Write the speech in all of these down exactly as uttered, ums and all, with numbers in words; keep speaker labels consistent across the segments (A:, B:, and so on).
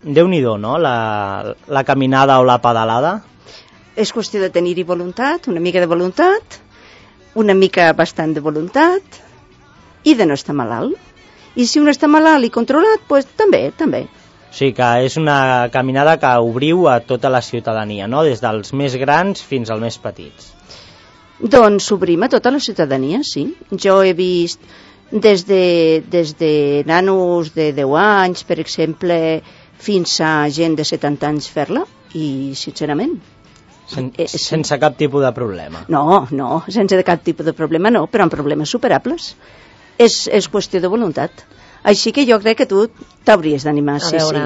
A: Déu-n'hi-do, no?, la, la caminada o la pedalada.
B: És qüestió de tenir-hi voluntat, una mica de voluntat, una mica bastant de voluntat, i de no estar malalt. I si un està malalt i controlat, doncs també, també.
A: O sigui que és una caminada que obriu a tota la ciutadania, no?, des dels més grans fins als més petits.
B: Doncs obrim a tota la ciutadania, sí. Jo he vist des de, des de nanos de deu anys, per exemple, fins a gent de setanta anys fer-la, i sincerament...
A: Sen, sense cap tipus de problema.
B: No, no, sense cap tipus de problema no, però amb problemes superables. És, és qüestió de voluntat. Així que jo crec que tu t'hauries d'animar, sí, sí.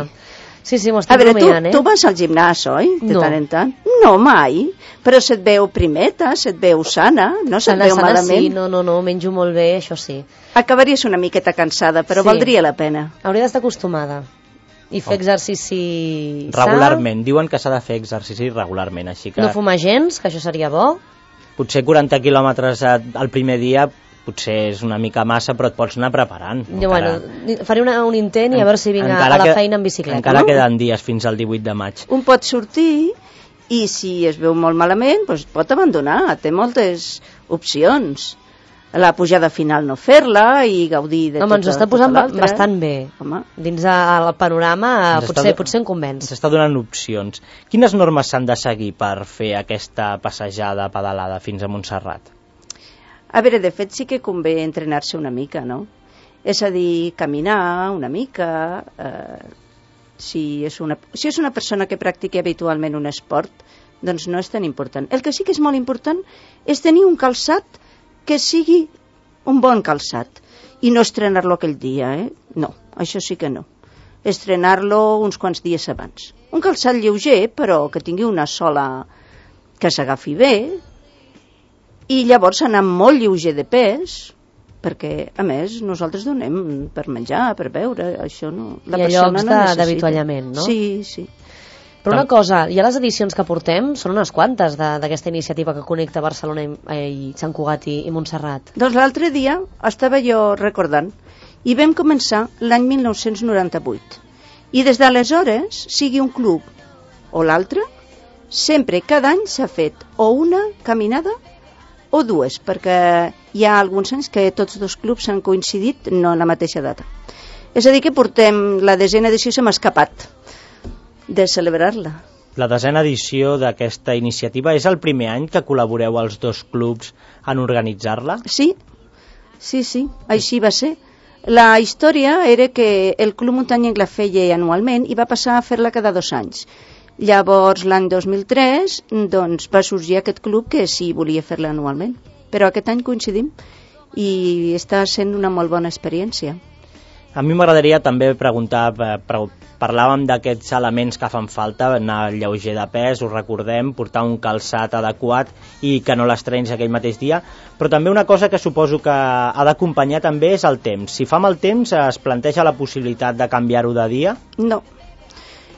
C: Sí, sí, m'ho estic
B: rumiant,
C: tu,
B: eh? Tu vas al gimnàs, oi? De
C: no.
B: tant en tant? No, mai. Però se't veu primeta, se't veu sana, no se't
C: sana,
B: veu
C: sana,
B: malament.
C: Sí, no, no, no, menjo molt bé, això sí.
B: Acabaries una miqueta cansada, però sí. Valdria la pena.
C: Hauria d'estar acostumada. I fer oh. exercici...
A: Regularment, diuen que s'ha de fer exercici regularment, així que...
C: No fumar gens, que això seria bo.
A: Potser quaranta quilòmetres al primer dia potser és una mica massa, però et pots anar preparant.
C: Jo, bueno, faré una, un intent i a veure si vinc a la feina en bicicleta.
A: Encara
C: no?
A: queden dies fins al divuit de maig.
B: Un pot sortir i si es veu molt malament, doncs pot abandonar, té moltes opcions. La pujada final no fer-la i gaudir de
C: Home,
B: tota,
C: ens ho està posant bastant bé.
B: Home.
C: Dins el panorama potser, potser en convenç.
A: Ens està donant opcions. Quines normes s'han de seguir per fer aquesta passejada pedalada fins a Montserrat?
B: A veure, de fet sí que convé entrenar-se una mica, no? És a dir, caminar una mica, eh, si, és una, si és una persona que practica habitualment un esport, doncs no és tan important. El que sí que és molt important és tenir un calçat que sigui un bon calçat i no estrenar-lo aquell dia, eh? No, això sí que no. Estrenar-lo uns quants dies abans. Un calçat lleuger, però que tingui una sola que s'agafi bé, i llavors anar molt lleuger de pes, perquè, a més, nosaltres donem per menjar, per beure, això no... La
C: I a llocs no d'avituallament, no?
B: Sí, sí.
C: Però una cosa, ja les edicions que portem són unes quantes d'aquesta iniciativa que connecta Barcelona i, i Sant Cugat i, i Montserrat.
B: Doncs l'altre dia estava jo recordant i vam començar l'any mil nou-cents noranta-vuit i des d'aleshores, sigui un club o l'altre, sempre cada any s'ha fet o una caminada o dues, perquè hi ha alguns anys que tots dos clubs han coincidit no en la mateixa data. És a dir que portem la desena edició, se m'ha escapat de celebrar-la.
A: La desena edició d'aquesta iniciativa és el primer any que col·laboreu els dos clubs en organitzar-la?
B: Sí, sí, sí, així va ser. La història era que el Club Muntanyenc la feia anualment i va passar a fer-la cada dos anys. Llavors, l'any dos mil tres, doncs, va sorgir aquest club que sí volia fer-la anualment. Però aquest any coincidim i està sent una molt bona experiència.
A: A mi m'agradaria també preguntar, parlàvem d'aquests elements que fan falta, anar lleuger de pes, ho recordem, portar un calçat adequat i que no l'estrenis aquell mateix dia, però també una cosa que suposo que ha d'acompanyar també és el temps. Si fa mal temps, es planteja la possibilitat de canviar-ho de dia?
B: No.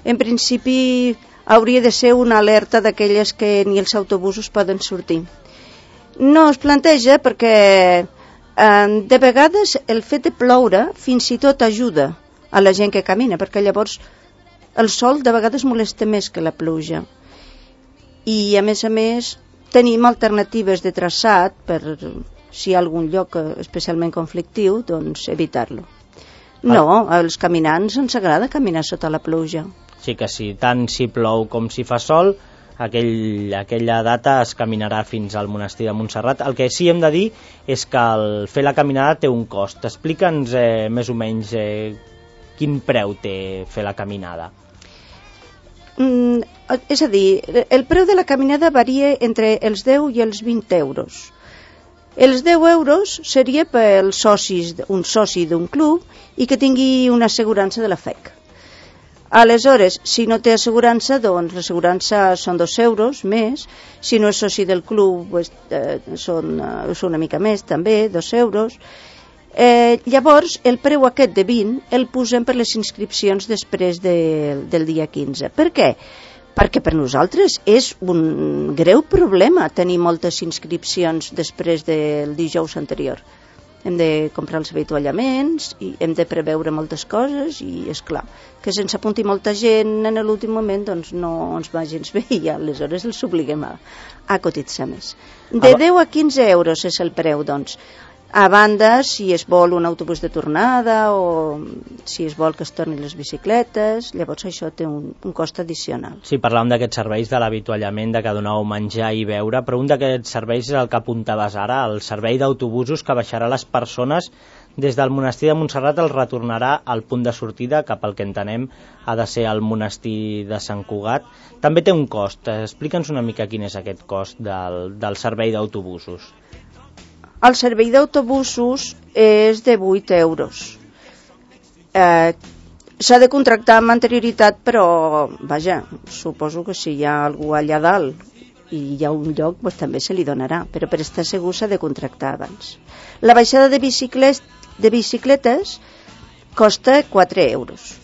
B: En principi hauria de ser una alerta d'aquelles que ni els autobusos poden sortir. No es planteja perquè de vegades el fet de ploure fins i tot ajuda a la gent que camina, perquè llavors el sol de vegades molesta més que la pluja. I a més a més tenim alternatives de traçat per si hi ha algun lloc especialment conflictiu, doncs evitar-lo. No, als caminants ens agrada caminar sota la pluja.
A: Sí que sí, tant si plou com si fa sol, aquell, aquella data es caminarà fins al monestir de Montserrat. El que sí hem de dir és que el fer la caminada té un cost. Explica'ns eh, més o menys eh, quin preu té fer la caminada.
B: Mm, és a dir, el preu de la caminada varia entre els deu i els vint euros. Els deu euros seria per socis, un soci d'un club i que tingui una assegurança de la F E C. Aleshores, si no té assegurança, doncs l'assegurança són dos euros més. Si no és soci del club, pues, eh, són, eh, són una mica més també, dos euros. Eh, llavors, el preu aquest de vint el posem per les inscripcions després de, del dia quinze. Per què? Perquè per nosaltres és un greu problema tenir moltes inscripcions després del dijous anterior. hem de comprar els avituallaments i hem de preveure moltes coses i és clar que se'ns apunti molta gent en l'últim moment doncs no ens va gens bé i aleshores els obliguem a, a cotitzar més. De deu a quinze euros és el preu, doncs. A banda, si es vol un autobús de tornada o si es vol que es tornin les bicicletes, llavors això té un, un cost addicional.
A: Sí, parlàvem d'aquests serveis de l'avituallament, de que doneu menjar i beure, però un d'aquests serveis és el que apuntaves ara, el servei d'autobusos que baixarà les persones des del monestir de Montserrat, el retornarà al punt de sortida, cap al que entenem ha de ser el monestir de Sant Cugat. També té un cost. Explica'ns una mica quin és aquest cost del, del servei d'autobusos.
B: El servei d'autobusos és de vuit euros. Eh, s'ha de contractar amb anterioritat, però, vaja, suposo que si hi ha algú allà dalt i hi ha un lloc, doncs també se li donarà, però per estar segur s'ha de contractar abans. La baixada de bicicletes, de bicicletes costa quatre euros.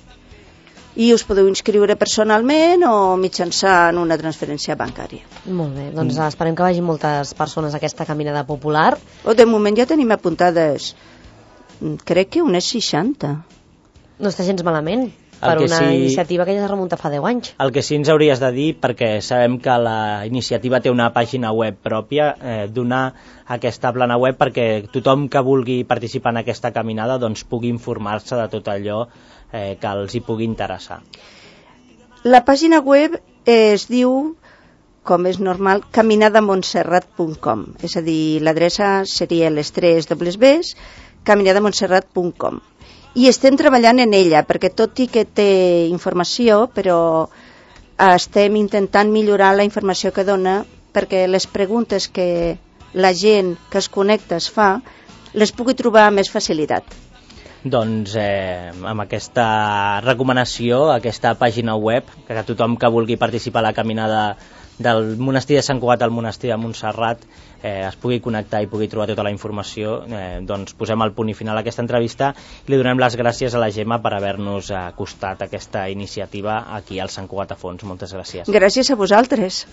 B: I us podeu inscriure personalment o mitjançant una transferència bancària.
C: Molt bé, doncs mm. esperem que vagin moltes persones a aquesta caminada popular.
B: O de moment ja tenim apuntades, crec que unes seixanta.
C: No està gens malament per una sí, iniciativa que ja es remunta fa deu anys.
A: El que sí ens hauries de dir, perquè sabem que la iniciativa té una pàgina web pròpia, eh, donar aquesta plana web perquè tothom que vulgui participar en aquesta caminada doncs pugui informar-se de tot allò eh, que els hi pugui interessar.
B: La pàgina web es diu, com és normal, caminada montserrat punt com, és a dir, l'adreça seria les tres dobles bes, caminada montserrat punt com. I estem treballant en ella, perquè tot i que té informació, però estem intentant millorar la informació que dona, perquè les preguntes que la gent que es connecta es fa, les pugui trobar amb més facilitat.
A: Doncs eh, amb aquesta recomanació, aquesta pàgina web, que tothom que vulgui participar a la caminada del monestir de Sant Cugat al monestir de Montserrat eh, es pugui connectar i pugui trobar tota la informació, eh, doncs posem el punt i final a aquesta entrevista i li donem les gràcies a la Gemma per haver-nos acostat a aquesta iniciativa aquí al Sant Cugat a Fons. Moltes gràcies.
B: Gràcies a vosaltres.